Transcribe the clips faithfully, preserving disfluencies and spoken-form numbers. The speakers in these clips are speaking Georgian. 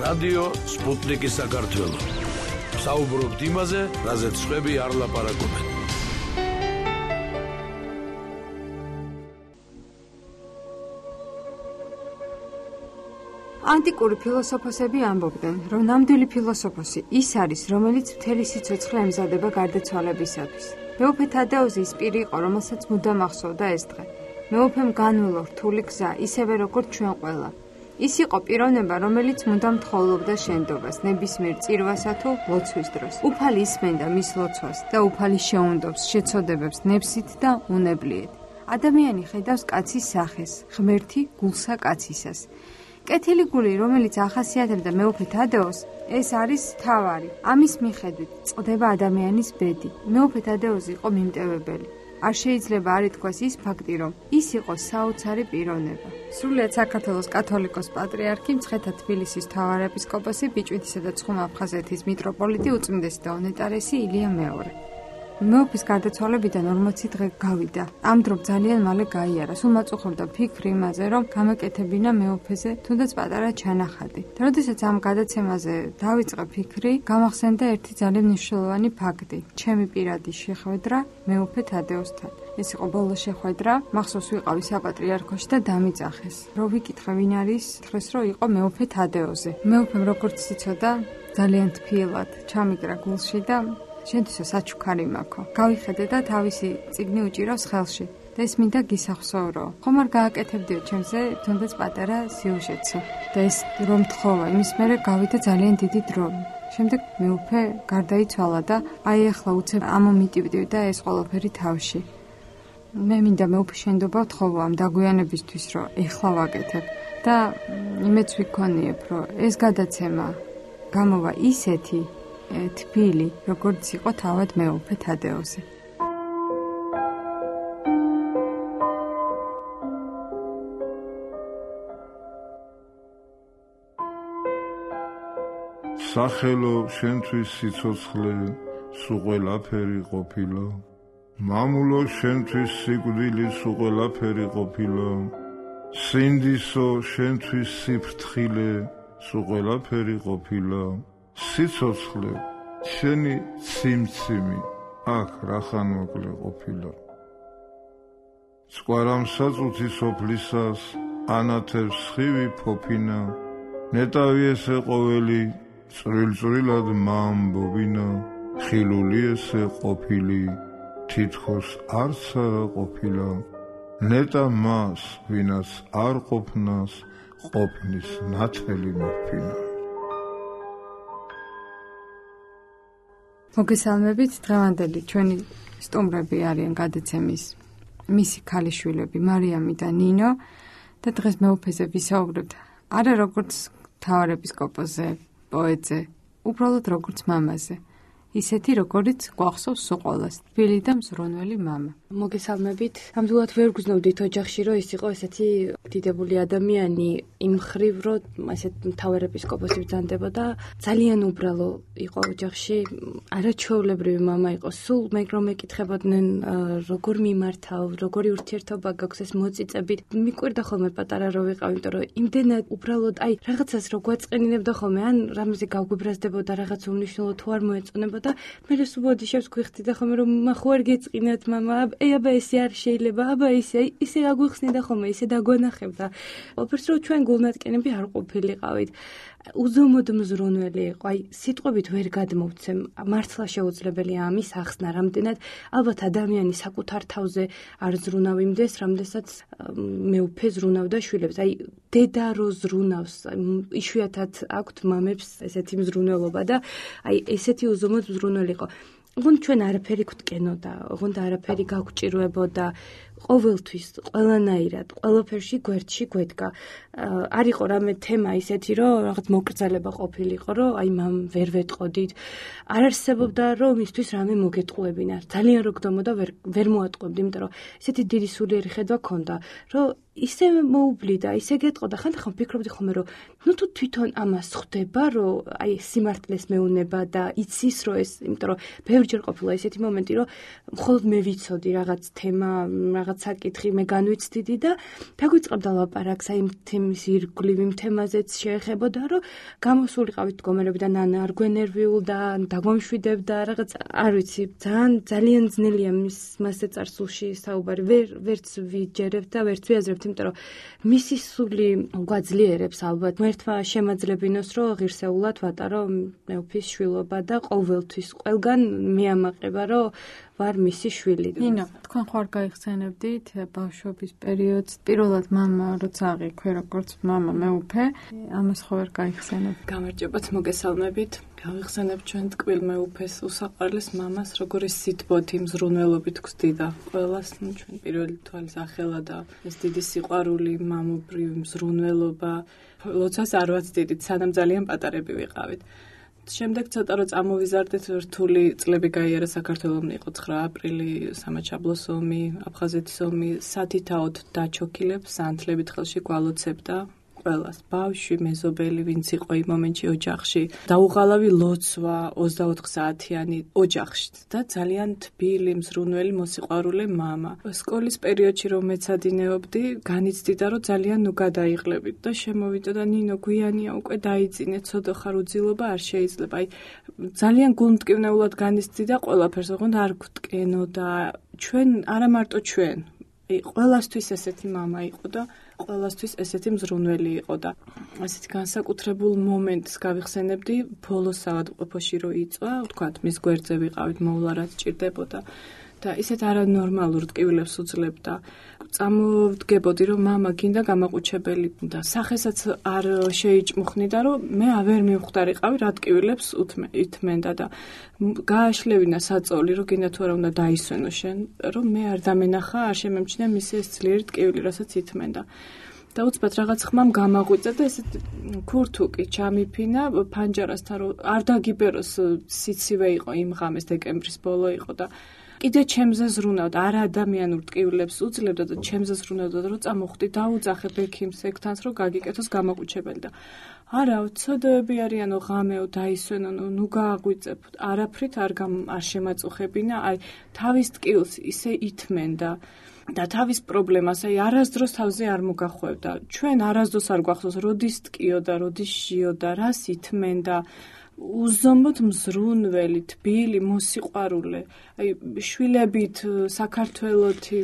რადიო სპუტნიკი საქართველო. საუბრობთ იმაზე, რაზეც სხვები არ ლაპარაკობენ. ანტიკური ფილოსოფოსები ამბობდნენ, რომ ნამდვილი ფილოსოფოსი ის არის, რომელიც მთელი სიცოცხლე ემზადება გარდაცვალებისათვის. მეუფე თადეოზი ის პირი იყო, რომელსაც მუდამ ახსოვდა ეს დღე. მეუფემ განვლო რთული გზა, ისევე როგორც ჩვენ ყველა. ის იყო პიროვნება, რომელიც მუდამ თხოვლობდა შენდობას, ნებისმიერ წირვასა თუ ლოცვის დროს. უფალი ისმენდა მის ლოცვას და უფალი შეუნდობს შეცოდებებს ნებსით და უნებლიეთ. ადამიანი ხედავს კაცის სახეს, ღმერთი გულსა კაცისას. კეთილი გული, რომელიც ახასიათებდა მეუფე თადეოს, ეს არის თავარი. ამის მიხედვით წყდება ადამიანის ბედი. მეუფე თადეოზი იყო მიმტევებელი. არ შეიძლება არ ითქვას ის ფაქტი, რომ ის იყო საოცარი პიროვნება. სრულიად საქართველოს კათოლიკოს პატრიარქი, მცხეთა თბილისის მთავარეპისკოპოსი, ბიჭვინთისა და ცხუმა-აფხაზეთის მიტროპოლიტი, უწმინდესი და უნეტარესი ილია მეორე. მეუფის გარდაცვალებიდან ორმოცი დღე გავიდა. ამ დრო ძალიან მალე გაიარა. სულ მაწუხებდა ფიქრი იმაზე, რომ გამეკეთებინა მეუფეზე თუნდაც პატარა ჩანახატი. და როდესაც ამ გადაცემაზე დავიწყე ფიქრი, გამახსენდა ერთი ძალიან მნიშვნელოვანი ფაქტი. ჩემი პირადი შეხვედრა მეუფე თადეოსთან. ეს იყო ბოლო შეხვედრა, მახსოვს ვიყავი საპატრიარქოში და დამიძახეს. რო ვიკითხე ვინ არის, თხრეს რომ იყო მეუფე თადეოზი. მეუფემ როგორც იცოდა, ძალიან თბილად ჩამიკრა გულში და შენთვისაც საჩუქარი მაქვს. გავიხედე და თავისი წიგნი უჭირავს ხელში და ეს მინდა გისახსოვრო. ხომ არ გააკეთებდიო ჩემზე თუნდაც პატარა სიუჟეტსო. და ეს რომ თხოვა, იმის მერე გავიდა ძალიან დიდი დრო. შემდეგ მეუფე გარდაიცვალა და აი ახლა უცებ ამომიტივდივდა ეს ყველაფერი თავში. მე მინდა მეუფის შენდობა ვთხოვო ამ დაგვიანებისთვის, რომ ეხლა ვაკეთებ და იმედს ვიქონიებ, რომ ეს გადაცემა გამოვა ისეთი თბილი, როგორც იყო თავად მეუფე თადეოზი. სახელო შენთვის სიცოცხლე სულ ყველაფერი ყოფილა, მამულო შენთვის სიკვდილი სულ ყველაფერი ყოფილა, სინდისო შენთვის სიფრთხილე სულ ყველაფერი ყოფილა, სიცოცხლე შენი ციმციმი აქ რახან მოკლე ყოფილა. სკვარამ საწუთი სოფლისას ანათებს ხივი ფოფინა, ნეტავი ესე ყოველი წვრილ-წვრილად მაამბობინა, ხილული ესე ყოფილი თითქოს არც არა ყოფილა, ნეტა მას ვინაც არ ყოფნას ყოფნის ნათელი მოფინა. მოგესალმებით, დღევანდელი ჩვენი სტუმრები არიან გადაცემის მისი ქალიშვილები მარიამი და ნინო და დღეს მეუფეზე ვისაუბრებთ არა როგორც მთავარეპისკოპოსზე, პოეტზე, უბრალოდ როგორც მამაზე. ისეთი როგორიც გვახსოვს სულ ყველას, თბილი და მზრუნველი მამა. მოგესალმებით. ნამდვილად ვერ გრძნობდით ოჯახში, რომ ის იყო ესეთი დიდებული ადამიანი, იმ მხრივ, რომ ესეთ მთავარეპისკოპოსი ბრძანდებოდა. ძალიან უბრალო იყო ოჯახში, არაჩვეულებრივი მამა იყო. სულ მე რომ მეკითხებოდნენ, როგორ მიმართავ, როგორი ურთიერთობა გაქვს ეს მოწიწებით. მიკვირდა ხოლმე პატარა რო ვიყავ, იმიტომ რომ იმდენად უბრალოდ, აი, რაღაცას რო გვაწყენინებდა ხოლმე, ან რამეზე გავგვიბრაზდებოდა, რაღაც უმნიშვნელო თუ არ მოეწონებოდა და მე სულ ბოდიშებს გვიხდიდა ხოლმე რომ მახო არ გეწყინათ მამა, აი აბა ესე არ შეიძლება, აბა ესე ისე აგვიხსნიდა ხოლმე, ისე დაგვანახებდა. ოფერს რომ ჩვენ გულნატკენები არ ყოფილიყავით. უზომოდ მზრუნველი იყო, აი სიტყვებით ვერ გადმოვცემ, მართლა შეუძლებელია ამის ახსნა, რამდენად ალბათ ადამიანი საკუთარ თავზე არ ზრუნავიმდეს, რამდენსაც მეუფე ზრუნავდა შვილებს. აი დედა რო ზრუნავს, იშვიათად აქვთ მამებს ესეთი მზრუნველობა და აი ესეთი უზომოდ მზრუნველი იყო. ოღონდ ჩვენ არაფერი გვტკენოდა, ოღონდ არაფერი გაგვჭირვებოდა, ყოველთვის, ყველანაირად, ყველაფერში გვერდში გვედგა. არ იყო რამე თემა ისეთი, რომ რაღაც მოკრძალება ყოფილიყო, რომ აი მამ ვერ ვეტყოდით. არ არსებობდა, რომ მისთვის რამე მოგეტყუებინა. ძალიან რო გდომოდა, ვერ ვერ მოატყუებდი, იმიტომ რომ ესეთი დიდი სულიერი ხედვა ქონდა, რომ ისე მოუბლიდა, ისე გეტყოდა, ხანდახან ვფიქრობდი ხოლმე, რომ ნუ თუ თვითონ ამას ხვდება, რომ აი სიმართლეს მეუნება და იცის, რომ ეს, იმიტომ რომ ბევრჯერ ყოფილა ესეთი მომენტი, რომ მხოლოდ მე ვიცოდი რაღაც თემა, რაღაც საკითხი მე განვიცდიდი და დაგვიწყებდა ლაპარაკს აი თემის ირგვლივ იმ თემაზეც შეეხებოდა, რომ გამოსულიყავით მდგომარეობიდან ან არ გვენერვიულდა, ან დაგვამშვიდებდა რაღაც, არ ვიცი, ძალიან ძალიან ძნელია მის მასზე წარსულში საუბარი, ვერ ვერც ვიჯერებთ და ვერც ვიაზრებთ, იმიტომ რომ მისი სული გვაძლიერებს ალბათ. ერთმა შემაძლებინოს, რომ ღირსეულად ვატარო მეუფის შვილობა და ყოველთვის ყველგან მეამაყება, რომ ვარ მისი შვილი. ნინო, თქვენ ხარ გაიხსენებდით ბავშვობის პერიოდს, პირველად მამა როცა აღიქვე როგორც მამა მეუფე, ამას ხო ვერ გაიხსენებთ? გამარჯობათ, მოგესალმებით. გავიხსენებ ჩვენ ტკბილ მეუფეს, უსაყვარლეს მამას, როგორი სიტბოთი მზრუნველობით გვსდიდა ყველას, ნუ ჩვენ პირველი თვალის ახელა და ეს დიდი სიყვარული, მამობრივი მზრუნველობა, ლოცვას არ ვაცდიდით, სანამ ძალიან პატარები ვიყავით. შემდეგ ცოტა რომ წამოვიზარდეთ, რთული წლები გაიარა საქართველოს, იყო ცხრა აპრილი, სამაჩაბლოს ომი, აფხაზეთის ომი, სათითაოდ დაჩოქილებს, სანთლებით ხელში გვალოცებდა ყველას, ბავშვი, მეზობელი, ვინც იყო იმ მომენტში ოჯახში, დაუღალავი ლოცვა ოცდაოთხ საათიანი ოჯახში და ძალიან თბილი, მზრუნველი, მოსიყვარულე მამა. სკოლის პერიოდში რომ მეცადინეობდი, განიცდიდა რომ ძალიან ნუ გადაიღლებით და შემოვიდა და ნინო გვიანია უკვე დაიწინე, ცოდო ხარ უძილობა არ შეიძლება. აი ძალიან გულმტკივნეულად განიცდიდა ყველაფერს, ოღონდ არ გვტკენო და ჩვენ არა მარტო ჩვენ, აი ყველასთვის ესეთი მამა იყო და ყველასთვის ესეთი მზრუნველი იყო და ასეთი განსაკუთრებულ მომენტს გავიხსენებდი ბოლოს საავადმყოფოში რო იწვა, ვთქვათ, მის გვერდზე ვიყავით, მოვლა რაც ჭირდებოდა და ისეთ არანორმალურ ტკივილებს უძლებდა. წამოვდგებოდი რომ მამა გინდა გამაყუჩებელი და სახესაც არ შეიჭმუხნიდა რომ მე ვერ მივხვდარიყავი რა ტკივილებს უთმენდა და გააშლევინა საწოლი რომ გინდა თუ არა უნდა დაისვენო შენ რომ მე არ დამენახა არ შემემჩნია მისი ეს ძლიერი ტკივილი რასაც ითმენდა და უცბად რაღაც ხმამ გამაღვიძა და ესეთ ქურთუკი ჩამიფინა ფანჯარასთან რომ არ დაგიბეროს სიცივე იყო იმ ღამეს დეკემბრის ბოლო იყო და კიდე ჩემზე ზრუნავდა, არა ადამიანურ ტკივილებს უძლებდა და ჩემზე ზრუნავდა, რომ წამოხვდი, დაუძახე ბექიმს ეგთანს, რომ გაგიკეთოს გამაყუჩებელი და არა, ცოდოები არიანო ღამეო დაისვენო, ნუ გააღვიძებ, არაფრით არ არ შემაწუხებინა, აი თავის ტკივილს ისე ითმენდა და თავის პრობლემას აი არასდროს თავზე არ მოგახვევდა. ჩვენ არასდროს არ გვახსოვს, როდის ტკიოდა, როდის ჟიოდა, რას ითმენდა. უზომოდ მზრუნველი, თბილი, მოსიყვარულე, აი შვილებით, საქართველოთი,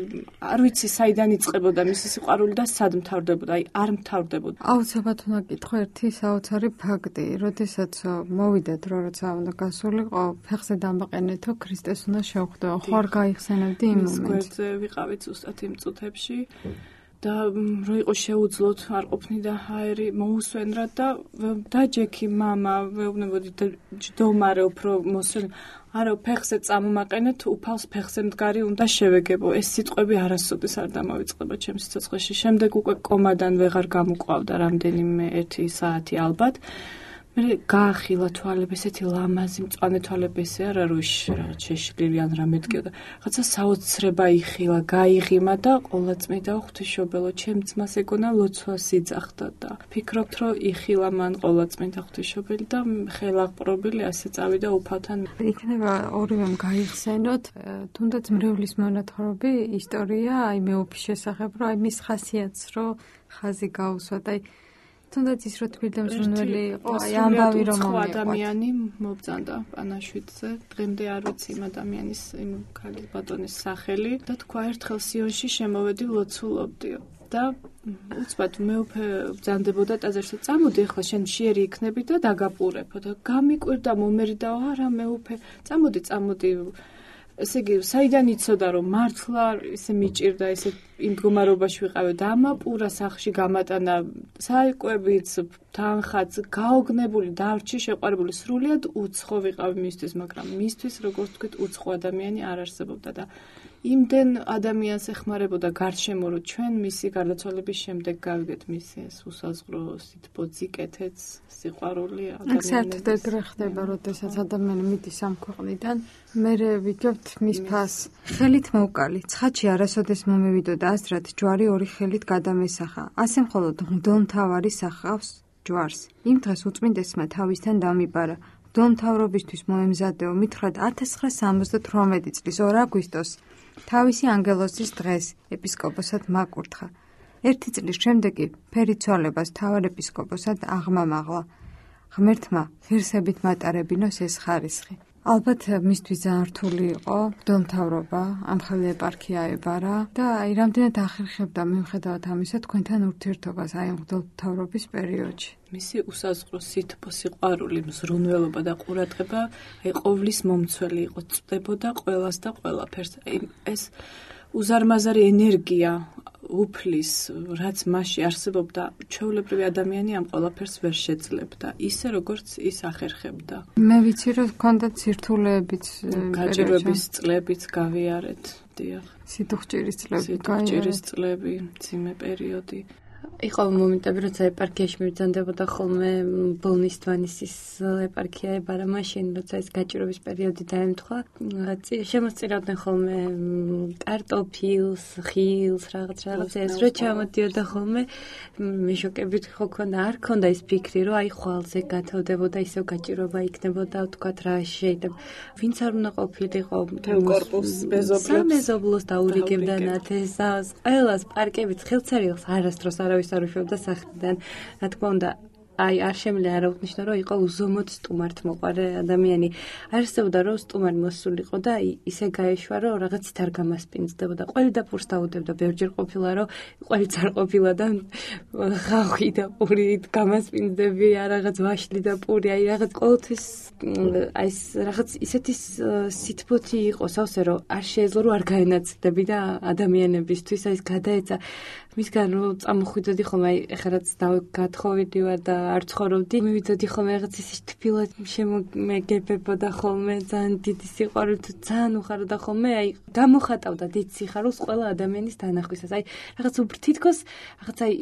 არ ვიცი საიდან იწყებოდა მისი სიყვარული და სად მთავრდებოდა, აი არ მთავრდებოდა. აუცილებლად უნდა გითხო ერთი საოცარი ფაქტი, როდესაც მოვიდა დრო, როცა უნდა გასულიყო, ფეხზე დამაყენეთო, ქრისტეს უნდა შევხვდო. ხო არ გაიხსენებდი იმ მომენტს? გვერდზე ვიყავით ზუსტად იმ წუთებში. და რო იყო შეუძლოთ არ ყოფნიდა ჰაერი მოусვენრად და დაჯექი მამა ვეუბნებოდი და ჯდომარე უფრო მოსვენ არა ფეხზე წამომაყენეთ უფალს ფეხზე მდგარი უნდა შევეგებო ეს სიტყვები არასოდეს არ დამავიწყება ჩემს სიცოცხლეში შემდეგ უკვე კომადან ვეღარ გამოყვავდა რამდენიმე ერთი საათი ალბათ მე გაახილა თვალები ესეთი ლამაზი მწვანე თვალები ესე არა რო რაღაც შეშლილი ან რამე დგება რაღაცა საოცრება იხილა გაიღიმა და ყოლაწმიდა ღვთისმშობელო ჩემ ძმას ეგონა ლოცვას იძახდა და ფიქრობთ რომ იხილა მან ყოლაწმიდა ღვთისმშობელი და ხელაღპრობილი ასე წავიდა უფალთან იქნება ორივემ გაიხსენოთ თუნდაც მრევლის მონათხრობი ისტორია აი მეუფის შესახებ რომ აი მის ხასიათს რომ ხაზი გაუსვა და აი თუნდაც ის რო თბილი და მზრუნველი იყო, აი ამბავი რომ მომიყვანს. ადამიანი მობრძანდა პანაშვიდზე. დღემდე არ ვიცი იმ ადამიანის, იმ ქალის ბატონის სახელი და თქვა ერთხელ სიონში შემოვედი ლოცულობდიო. და უცბად მეუფე ბრძანდებოდა ტაძარში. წამოდი ახლა შენ მშიერი იქნები და დაგაპურებო და გამიკვირდა მომერიდაო არა მეუფე. წამოდი, წამოდი ესე იგი, საიდან იცოდა რომ მართლა ესე მიჭირდა ესე იმ მდგომარეობაში ვიყავე და ამაპურა სახში გამატანა საიკვებიც თანხაც გაოგნებული დარჩი შეყვარებული სრულიად უცხო ვიყავი მისთვის მაგრამ მისთვის როგორც ვთქვით უცხო ადამიანი არ არსებობდა და იმდენ ადამიანს ეხმარებოდა გარშემო რომ ჩვენ მისი გარდაცვალების შემდეგ გავიგეთ მისი ეს უსაზღრო სიტბოძიკეთეც სიყვარული ადამიანების საერთოდ ეგრე ხდება როდესაც ადამიანი მიდის ამ ქვეყნიდან მერე ვიგებთ მის ფას ხელით მოვკალი ცხადში არასოდეს მომევიდოდა ასრად ჯვარი ორი ხელით გადამესახა ასე მხოლოდ მღვდელმთავარი სახავს ჯვარს იმ დღეს უწმინდესმა თავისთან დამიბარა მღვდელმთავრობისთვის მოემზადეო მითხრათ ათას ცხრაასი სამოცდათვრამეტი წლის ორ აგვისტოს თავისი ანგელოზის დღეს ეპისკოპოსად მაკურთხა. ერთი წლის შემდეგ კი ფერიცვალებას მთავარ ეპისკოპოსად აღმამაღლა. ღმერთმა ღირსებით მატარებინოს ეს ხარისხი. ალბათ მისთვის ძალიან რთული იყო მღვდელმთავრობა, ამხელი ეპარქია ებარა და აი რამდენად ახერხებდა მიუხედავად ამისა თქვენთან ურთიერთობას აი მღვდელმთავრობის პერიოდში. მისი უსაზღვრო სითბო, სიყვარული, მზრუნველობა და ყურადღება აი ყოვლის მომცველი იყო, წდებოდა ყველას და ყველაფერს. აი ეს უზარმაზარი ენერგია უფლის, რაც მასში არსებობდა, ჩვეულებრივი ადამიანი ამ ყველაფერს ვერ შეძლებდა, ისე როგორც ის ახერხებდა. მე ვიცი, რომ ჰქონდა ცირთულეებიც, გაჭირვების წლებიც გავიარეთ, დიახ. სიტუხჭირის წლები, სიტუხჭირის წლები, ძიმე პერიოდი. იყო მომენტები, როცა ეპარქიაში მიბრძანდებოდა ხოლმე ბოლნის თვანისის ეპარქია ებარა, მაშინ როცა ეს გაჭირვების პერიოდი დაემთხვა, შემოსწირავდნენ ხოლმე კარტოფილს, ხილს, რაღაც რაღაც ეს რო ჩამოდიოდა ხოლმე, მეშოკებით ხო ქონდა, არ ქონდა ის ფიქრი, რომ აი ხვალზე გათავდებოდა, ისევ გაჭირვება იქნებოდა, ვთქვათ რა შეიძლება. ვინც არ უნდა ყოფილიყო თეოკორპუს მეზობლებს, სამეზობლოს დაურიგებდა ნათესავს, ყველას პარკებით ხელცერილს არასდროს არავის არ უშვებდა სახლიდან. რა თქმა უნდა, აი არ შემიძლია არ აღნიშნო, რომ იყო უზომოდ სტუმართმოყვარე ადამიანი. არსებობდა, რომ სტუმარი მოსულიყო და ისე გაეშვა, რომ რაღაცით არ გამასპინძდებოდა. ყველი და პურს დაუდებდა, ბევრჯერ ყოფილა, რომ ყველიც არ ყოფილა და ხავხი და პური გამასპინძდები, რაღაც ვაშლი და პური, აი რაღაც ყოველთვის აი ეს რაღაც ისეთი სითბოთი იყო სავსე, რომ არ შეეძლო, რომ არ გაენაცდები და ადამიანებისთვის აი ეს გადაეცა. მისგან რომ წამოხვიდოდი ხოლმე, აი ეხლა რაც გათხოვიდი ვარ და არ ცხოვრობდი, მივიდოდი ხოლმე რაღაც ისე თბილად შემომეგებებოდა ხოლმე, ძალიან დიდი სიყვარულით, ძალიან უხარდა ხოლმე, აი გამოხატავდა დიდ სიხარულს ყველა ადამიანის დანახვისას. აი რაღაც უფრო თითქოს რაღაც აი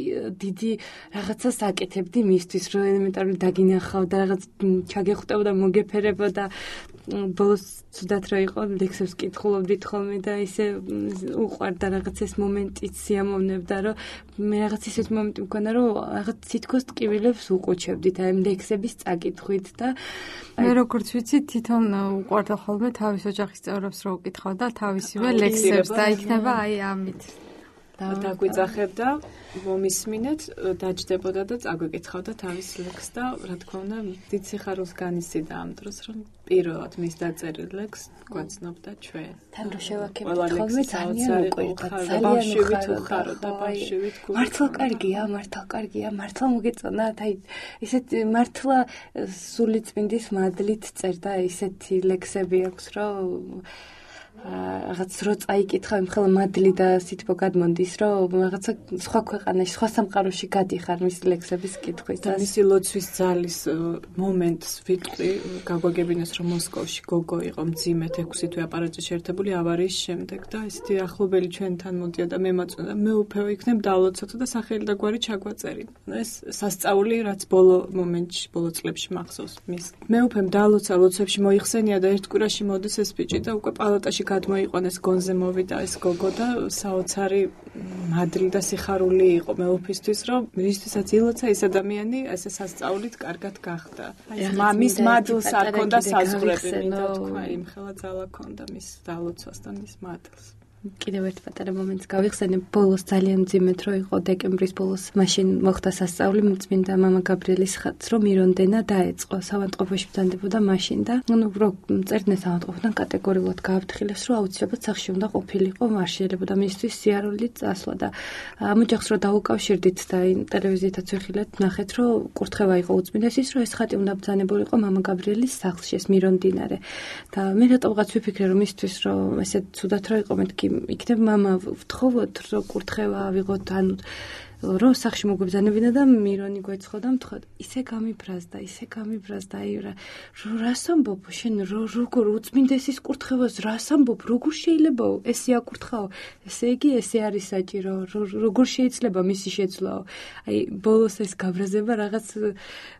დიდი რაღაცას აკეთებდი მისთვის, რომ ელემენტარული დაგინახავდა, რაღაც ჩაგეხვდებოდა, მოგეფერებოდა. ბოლოს ცუდად რა იყო, ლექსებს კითხულობდით ხოლმე და ისე უყვარდა რაღაც ეს მომენტიც სიამოვნებდა, რომ მე რაღაც ისეთ მომენტი მქონდა, რომ რაღაც თითქოს ტკივილებს უყუჩებდით აი ლექსების წაკითხვით და მე როგორც ვიცი, თვითონ უყვარდა ხოლმე თავის ოჯახის წევრებს რო უკითხავდა თავისივე ლექსებს და იქნება აი ამით. დაგვიძახებდა, მომისმინეთ, დაჯდებოდა და წაგვიკითხავდა თავის ლექსს და რა თქმა უნდა, დიდ სიხარულს განიცდიდა ამ დროს, რომ პირველად მის დაწერილ ლექსს გვაცნობდა ჩვენ. თან რო შევაქებთ ხოლმე ძალიან უყვირდა, ძალიან უხარდა, ბავშვით გულით. მართლა კარგია, მართლა კარგია, მართლა მოგეწონათ, აი ესეთ მართლა სული წმინდის მადლით წერდა, ესეთი ლექსები აქვს, რომ რაღაც რო წაიკითხავ იმ ხელ მადლი და სითბო გადმონდის, რომ რაღაცა სხვა ქვეყანაში, სხვა სამყაროში გადიხარ მის ლექსების კითხვის და მისი ლოცვის ძალის მომენტს ვიტყვი, გაგვაგებინეს, რომ მოსკოვში გოგო იყო მძიმედ ექვსი თვე აპარატში შეერთებული ავარიის შემდეგ და ესეთი ახლობელი ჩვენთან მოდიოდა, მემაწვდა, მე უფეო იქნებ დალოცოთ და სახელი და გვარი ჩაგვაწერი. ეს სასწაული, რაც ბოლო მომენტში, ბოლო წლებში მახსოვს მის. მე უფემ დალოცა, ლოცვებში მოიხსენია და ერთ კვირაში მოდის ეს ბიჭი და უკვე პალატაში გადმოიყონეს, გონზე მოვიდა ეს გოგო და საოცარი მადლი და სიხარული იყო მეუფისთვის, რომ მისთვისაც ილოცა ეს ადამიანი ესე სასწაულით კარგად გახდა. მამის მადლს არ ქონდა საზღვრები, მინდა თქვა, იმხელა ძალა ქონდა მის დალოცვას და მის მადლს. კიდევ ერთ პატარა მომენტს გავიხსენებ, ბოლოს ძალიან მძიმედ რო იყო დეკემბრის ბოლოს, მაშინ მოხდა სასწაული წმინდა მამა გაბრიელის ხატს, რომ მირონდენა დაეწყო, ავადმყოფოში ბრძანდებოდა მაშინ და ნუ რო წერდნენ ავადმყოფთან კატეგორიულად გააფრთხილეს, რომ აუცილებლად სახლში უნდა ყოფილიყო, არ შეიძლებოდა მისთვის სიარული წასვლა და ამ ოჯახს რო დაუკავშირდით და ტელევიზიითაც ვიხილეთ, ნახეთ, რომ კურთხევა იყო უწმინდესის, რომ ეს ხატი უნდა ბრძანებულიყო მამა გაბრიელის სახლში, ეს მირონდინარე. და მე რატომღაც ვიფიქრე, რომ მისთვის რომ ესე ცუდად რო იყო, მეთქი იქნებ მამა ვთხოვოთ, რომ კურთხევა ავიღოთ, ანუ რომ სახში მოგვიბრძანებინა და მირონი გვეცხო და მთხოვ, ისე გამიბრაზდა, ისე გამიბრაზდა, აი რა რას ამბობ, შენ როგორ უწმინდესის კურთხევას რას ამბობ, როგორ შეიძლება ესე აკურთხაო, ესე იგი ესე არის საჭირო, როგორ შეიძლება მისი შეცვლაო. აი ბოლოს ეს გაბრაზება რაღაც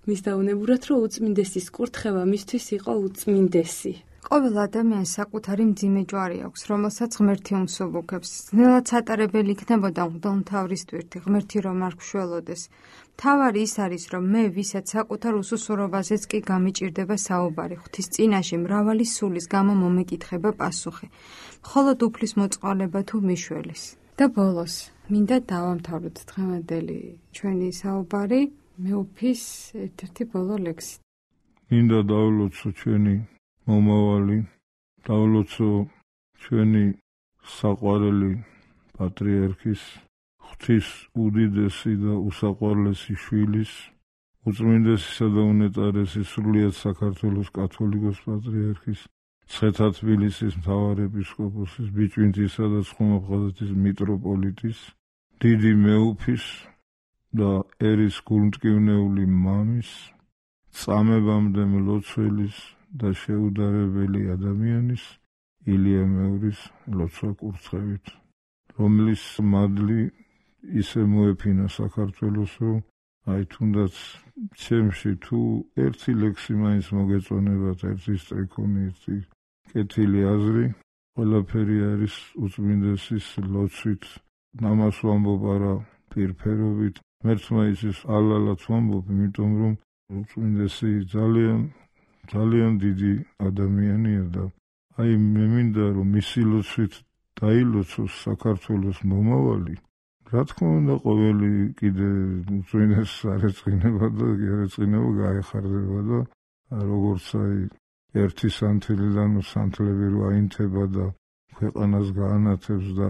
მის დაუნებურად, რომ უწმინდესის კურთხევა მისთვის იყო უწმინდესი. ყოველ ადამიანს საკუთარი მძიმე ჯვარი აქვს, რომელსაც ღმერთი უმსუბუქებს. ძნელად სატარებელი იქნებოდა მღვდელმთავრის ტვირთი, ღმერთი რომ არ გშველოდეს. მთავარი ის არის, რომ მე, ვისაც საკუთარ უსუსურობაზეც კი გამიჭირდება საუბარი, ღვთის წინაშე მრავალი სულის გამო მომეკითხება პასუხი, მხოლოდ უფლის მოწყალება თუ მიშველის. და ბოლოს, მინდა დავამთავროთ დღევანდელი ჩვენი საუბარი მეუფის ერთ-ერთი ბოლო ლექსით. მინდა დავლოცო ჩვენი მომავალი, დავლოცო ჩვენი საყვარელი პატრიარქის, ღვთის უდიდესი და უსაყვარლესი შვილის, უწმინდესისა და უნეტარესი სრულიად საქართველოს კათოლიკოს პატრიარქის, ცხეთა თბილისის მთავარეპისკოპოსის, ბიჭვინთისა და ცხუნაფხაზეთის მიტროპოლიტის, დიდი მეუფის და ერის გულმტკივნეული მამის, წამებამდე მლოცველის და შეუდარებელი ადამიანის, ილია მეურის ლოცვა კურცხევით, რომლის მადლი ისე მოეფინა საქართველოს, რომ აი თუნდაც ჩემში თუ ერთი ლექსი მაინც მოგეწონებათ, ერთი სტრიქონი, ერთი კეთილი აზრი, ყველაფერი არის უწმინდესის ლოცვით, ამას ვამბობ არა პირფერობით, ღმერთმა იცის ალალად ვამბობ, იმიტომ რომ უწმინდესი ძალიან ძალიან დიდი ადამიანია და აი მე მინდა რომ მისი ლოცვით დაილოცოს საქართველოს მომავალი. რა თქმა უნდა, ყოველი კიდე უწმინდესს არ ეწყინება და არ ეწყინება გაეხარდება და როგორც აი ერთი სანთლიდან სანთლები რო აინთება და ქვეყანას გაანათებს და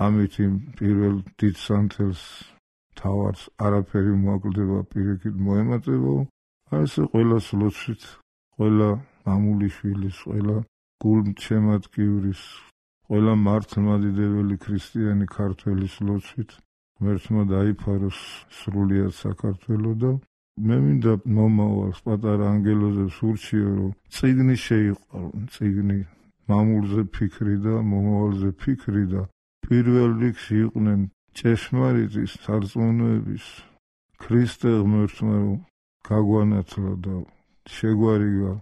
ამით იმ პირველ დიდ სანთელს თავარს არაფერი მოაკლდება, პირიქით მოემატება. აი ესე ყველას ლოცვით, ყველა მამული შვილის, ყველა გულმჩემატკივრის, ყველა მართლმადიდებელი ქრისტიანი ქართველის ლოცვით ღმერთმა დაიფაროს სრულიად საქართველო და მე მინდა მომავალს პატარა ანგელოზებს ურჩიო, რომ წიგნი შეიყვარონ, წიგნი მამულზე ფიქრი და მომავალზე ფიქრი და პირველ რიგში იყვნენ ჭეშმარიტის სარწმუნოების ქრისტე ღმერთმა რომ გაგვანათლა და შეგვარიგა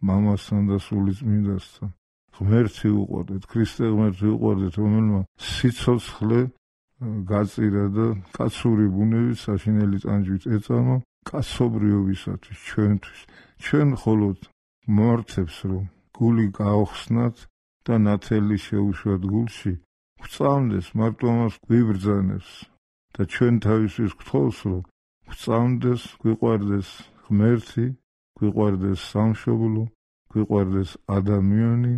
მამასთან და სულიწმინდასთან. ღმერთი უყვარდეთ, ქრისტე ღმერთი უყვარდეთ, რომელმა სიცოცხლე გაწირა და კაცური ბუნებით საშინელი ტანჯვით ეწამა კაცობრიობისათვის, ჩვენთვის. ჩვენ მხოლოდ მართებს რომ გული გაოხსნათ და ნათელი შეუშვათ გულში, გვწამდეს, მარტო ამას გვიბრძანებს და ჩვენ თავისთვის გთხოვს, რომ გვწამდეს, გვიყვარდეს ღმერთი, გვიყვარდეს სამშობლო, გვიყვარდეს ადამიანი,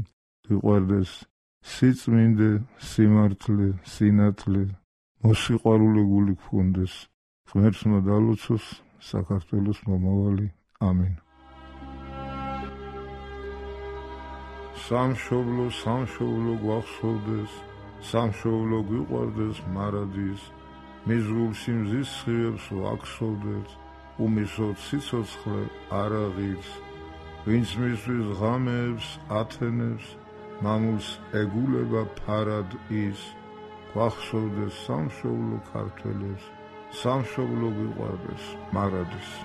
გვიყვარდეს სიწმინდე, სიმართლე, სინათლე, მოსიყვარულე გული გქონდეს. ღმერთმა დალოცოს საქართველოს მომავალი. ამინ. სამშობლო, სამშობლო გვახსოვდეს, სამშობლო გვიყვარდეს მარადის, მის გულში მზის სხივებს ვაქსოვდეთ, უმისოთ სიცოცხლე არ აღიძ, ვინც მისთვის ღამეებს ათენებს, მამულს ეგულება ფარად ის, გვახსოვდეს სამშობლო ქართველებს, სამშობლო გვიყვარდეს მარადის.